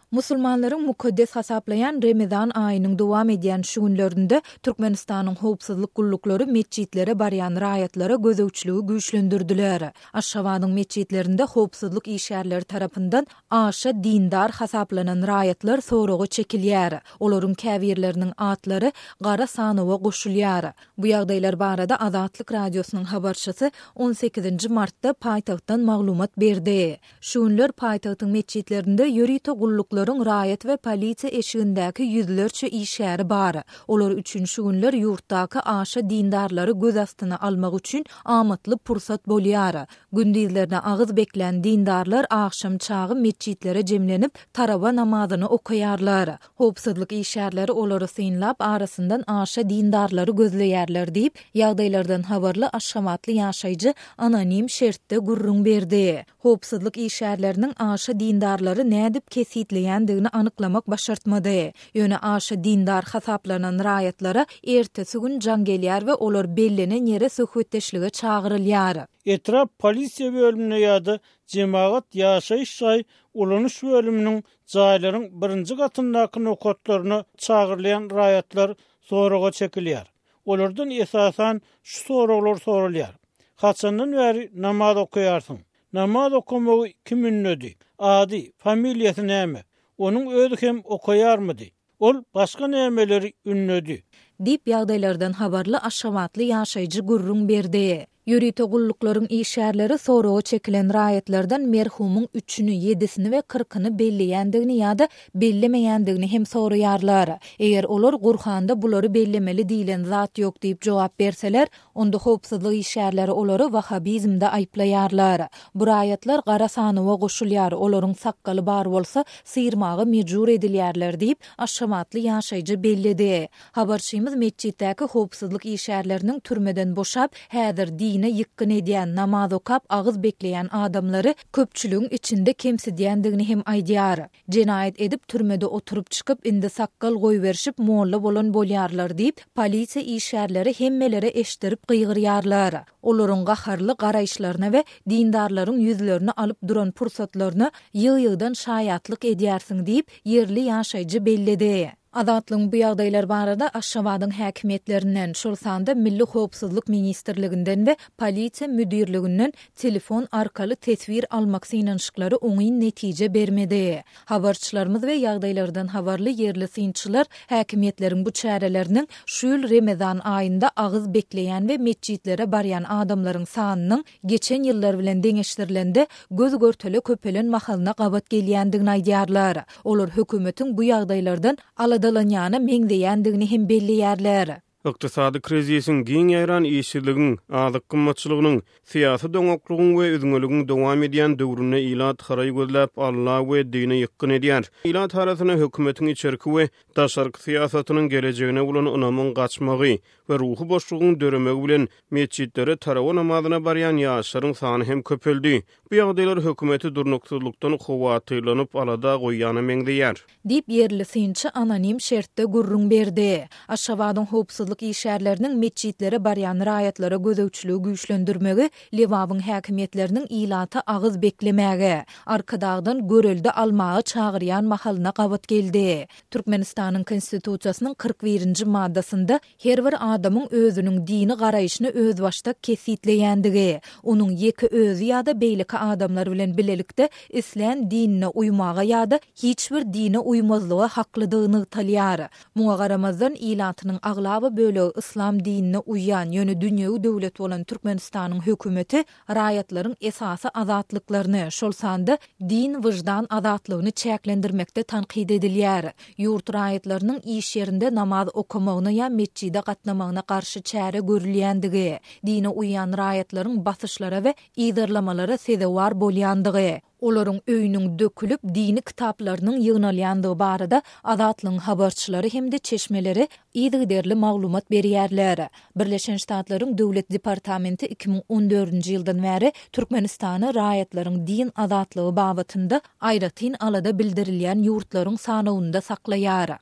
Musulmanlaryň mukaddes hasaplaýan Remezan aýynyň dowam edýän şu günlerinde Türkmenistanyň howpsuzlyk gulluklary metjitlere barýan raýatlara gözegçiligi güýçlendirdiler. Aşgabadyň metjitlerinde howpsuzlyk işgärleri tarapyndan aşa dindar hasaplanan raýatlar soraga çekilýär. Olaryň käbirleriniň atlary gara sanawa goşulýar. Bu ýagdaýlar barada Azatlyk Radiosynyň habarçysy on sekizinji martda paýtagtdan maglumat berdi. Şu günler paýtagtyň metjitlerinde ýörite gulluklaryň raýat we polisiýa eşigindäki ýüzlerçe işgäri bar. Olar üçin şu günler ýurtdaky aşa dindarlary göz astyna almak üçin amatly pursat bolýar. Gündizlerine agyz beklän dindarlar agşam çagy metjitlere jemlenip, tarawa namazyny okaýarlar. Howpsuzlyk işgärleri olary synlap, arasyndan aşa dindarlary gözleýärler diýip, ýagdaýlardan habarly aşgabatly ýaşaýjy anonim şertde gürrüň berdi. Howpsuzlyk işgärleriniň aşa dindarlary nädip kesgitleýändigini anyklamak başartmady. Ýöne aşa dindar hasaplanan raýatlara ertesi gün jaň gelýär we olar bellenen ýere söhbetdeşlige çagyrylýar. Etrap polisiýa bölümine ýa-da jemagat ýaşaýyş jaý ulanyş bölüminiň jaýlaryň birinji gatyndaky nokatlaryna çagyrylýan raýatlar soraga çekilýär. Olardan esasan şu soraglar soralýar, Haçandan bäri namaz okaýarsyň? Namaz okamagy kim ündedi? Ady, familiýasy näme? Onuň özi hem okaýarmydy? Ol başga nämeleri ündedi? Diýip, ýagdaýlardan habarly aşgabatly ýaşaýjy gürrüň berdi. Ýörite gulluklaryň işgärleri soraga çekilen raýatlardan merhumyň üçüni, ýedisini we kyrkyny belleýändigini ýa-da bellemeýändigini hem soraýarlar. Eger olar Gurhanda bulary bellemeli diýlen zat ýok diýip jogap berseler, onda howpsuzlyk işgärleri olary wahabizmde aýyplaýarlar. Bu raýatlar gara sanawa goşulýar, olaryň sakgaly bar bolsa, syrmaga mejbur edilýärler diýip, aşgabatly ýaşaýjy belledi. Habarçymyz metjitdäki howpsuzlyk işgärleriniň türmeden boşap, häzir dine ýykgyn edýän, namaz okap, agyz bekleýän adamlary köpçüligiň içinde kemsidýändigini hem aýdýar. Jenaýat edip, türmede oturyp çykyp, indi sakgal goýberişip, molla bolan bolýarlar diýip, polisiýa işgärleri hemmelere eşitdirip gygyrýarlar. Olaryň gaharly garaýyşlaryna we dindarlaryň ýüzlerini alyp duran pursatlaryna ýygy-ýygydan şaýatlyk edýärsiň diýip, ýerli ýaşaýjy belledi. Azatlygyň bu ýagdaýlar barada Aşgabadyň häkimiýetlerinden, şol sanda Milli howpsuzlyk ministrliginden we Polisiýa müdirliginden telefon arkaly teswir almak synanyşyklary oňyn netije bermedi. Habarçylarymyz we ýagdaýlardan habarly ýerli synçylar häkimiýetleriň bu çäreleriniň şu ýyl Remezan aýynda agyz bekleýän we metjitlere barýan adamlaryň sanynyň geçen ýyllar bilen deňeşdirilende göz-görtele köpelen mahalyna gabat gelýändigini aýdýarlar. Olar hökümetiň bu ýagdaýlardan aladalanýana meňzeýändigini hem belleýärler. Ykdysady krizisiň, giň ýaýran işsizligiň, azyk gymmatçylygynyň, syýasy doňaklygyň we üzňeligiň dowam edýän döwründe ilat haraý gözläp, Alla we dine ýykgyn edýär. Ilat arasynda hökümetiň içerki we daşarky syýasatynyň gelejegine bolan ynamyň gaçmagy we ruhy boşlugyň döremegi bilen metjitlere tarawa namazyna barýan ýaşlaryň sany hem köpeldi. Bu ýagdaýlar hökümeti durnuksyzlykdan howatyrlanyp alada goýýana meňzeýär. Diýip, ýerli synçy anonim şertde gürrüň berdi. Aşgabadyň howpsuzlyk işgärleriniň metjitlere barýan raýatlara gözegçiligi güýçlendirmegi Lebabyň häkimiýetleriniň ilata agyz beklemäge, Arkadagdan görelde almaga çagyrýan mahalyna gabat geldi. Türkmenistanyň Konstitusiýasynyň 41-nji maddasynda Her bir adamyň özüniň dini garaýşyny özbaşdak kesgitleýändigi, onuň ýeke özi ýa-da beýleki adamlar bilen bilelikde islän dinine uýmaga ýa-da hiç bir dine uýmazlyga haklydygy nygtalýar. Muňa garamazdan, ilatynyň aglaba bölegi yslam dinine uýýan, ýöne dünýewi döwlet bolan Türkmenistanyň hökümeti raýatlaryň esasy azatlyklaryny, şol sanda din-wyždan azatlygyny çäklendirmekde tankyt edilýär. Ýurt raýatlarynyň iş ýerinde namaz okamagyna ýa metjide gatnamagyna garşy çäre görülýändigi, dine uýýan raýatlaryň basyşlara we yzarlamalara sezewar bolýandygy, olaryň öýüniň dökülip, dini kitaplarynyň ýygnalýandygy barada Azatlygyň habarçylary hem-de çeşmeleri yzygiderli maglumat berýärler. Birleşen Ştatlaryň Döwlet departamenti 2014-nji ýyldan bäri Türkmenistany raýatlaryň din azatlygy babatynda aýratyn alada bildirilýän ýurtlaryň sanawynda saklaýar.